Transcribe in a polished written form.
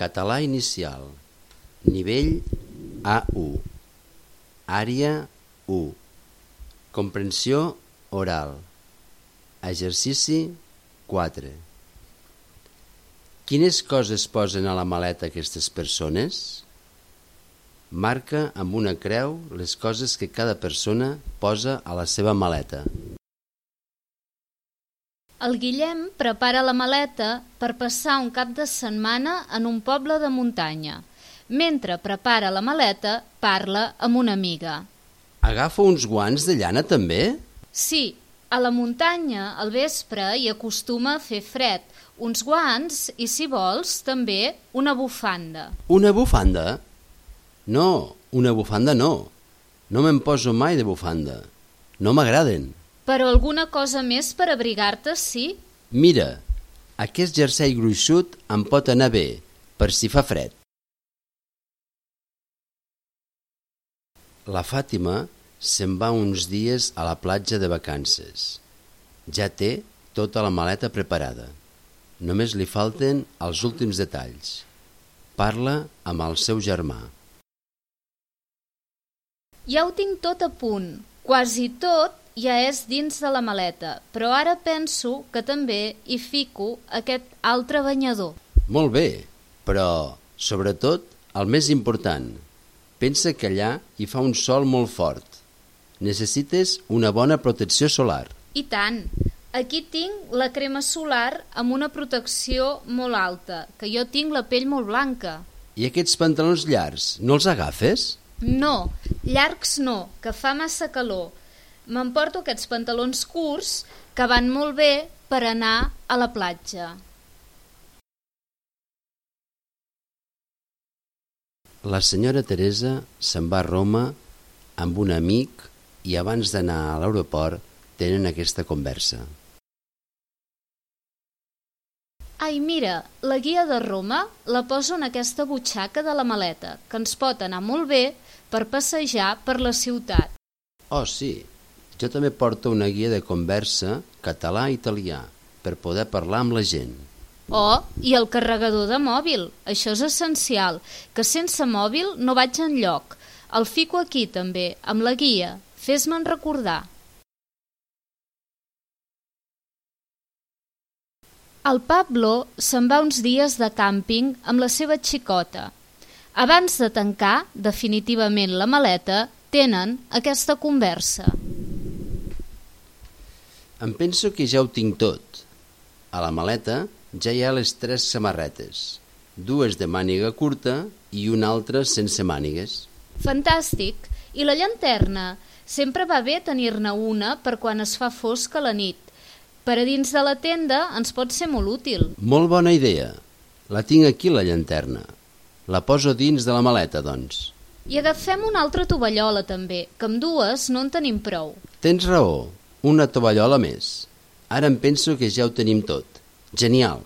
Català inicial. Nivell A1. Àrea 1. Comprensió oral. Exercici 4. Quines coses posen a la maleta aquestes persones? Marca amb una creu les coses que cada persona posa a la seva maleta. El Guillem prepara la maleta per passar un cap de setmana en un poble de muntanya. Mentre prepara la maleta, parla amb una amiga. Agafa uns guants de llana també? Sí, a la muntanya al vespre hi acostuma a fer fred. Uns guants i, si vols, també una bufanda. Una bufanda? No, una bufanda no. No me'n poso mai de bufanda. No m'agraden. Però alguna cosa més per abrigar-te, sí? Mira, aquest jersei gruixut em pot anar bé, per si fa fred. La Fàtima se'n va uns dies a la platja de vacances. Ja té tota la maleta preparada. Només li falten els últims detalls. Parla amb el seu germà. Ja ho tinc tot a punt. Quasi tot ja és dins de la maleta, però ara penso que també hi fico aquest altre banyador. Molt bé, però, sobretot, el més important, pensa que allà hi fa un sol molt fort. Necessites una bona protecció solar. I tant! Aquí tinc la crema solar amb una protecció molt alta, que jo tinc la pell molt blanca. I aquests pantalons llargs, no els agafes? No, llargs no, que fa massa calor. M'emporto aquests pantalons curts que van molt bé per anar a la platja. La senyora Teresa se'n va a Roma amb un amic i abans d'anar a l'aeroport tenen aquesta conversa. Ai, mira, la guia de Roma la poso en aquesta butxaca de la maleta, que ens pot anar molt bé per passejar per la ciutat. Oh, sí, jo també porto una guia de conversa català-italià per poder parlar amb la gent. Oh, i el carregador de mòbil, això és essencial, que sense mòbil no vaig enlloc. El fico aquí també, amb la guia, fes-me'n recordar. El Pablo se'n va uns dies de càmping amb la seva xicota. Abans de tancar definitivament la maleta, tenen aquesta conversa. Em penso que ja ho tinc tot. A la maleta ja hi ha les 3 samarretes, 2 de màniga curta i una altra sense mànigues. Fantàstic! I la llanterna? Sempre va bé tenir-ne una per quan es fa fosc a la nit. Per a dins de la tenda ens pot ser molt útil. Molt bona idea. La tinc aquí, la llanterna. La poso dins de la maleta, doncs. I agafem una altra tovallola, també, que amb 2 no en tenim prou. Tens raó, una tovallola més. Ara em penso que ja ho tenim tot. Genial!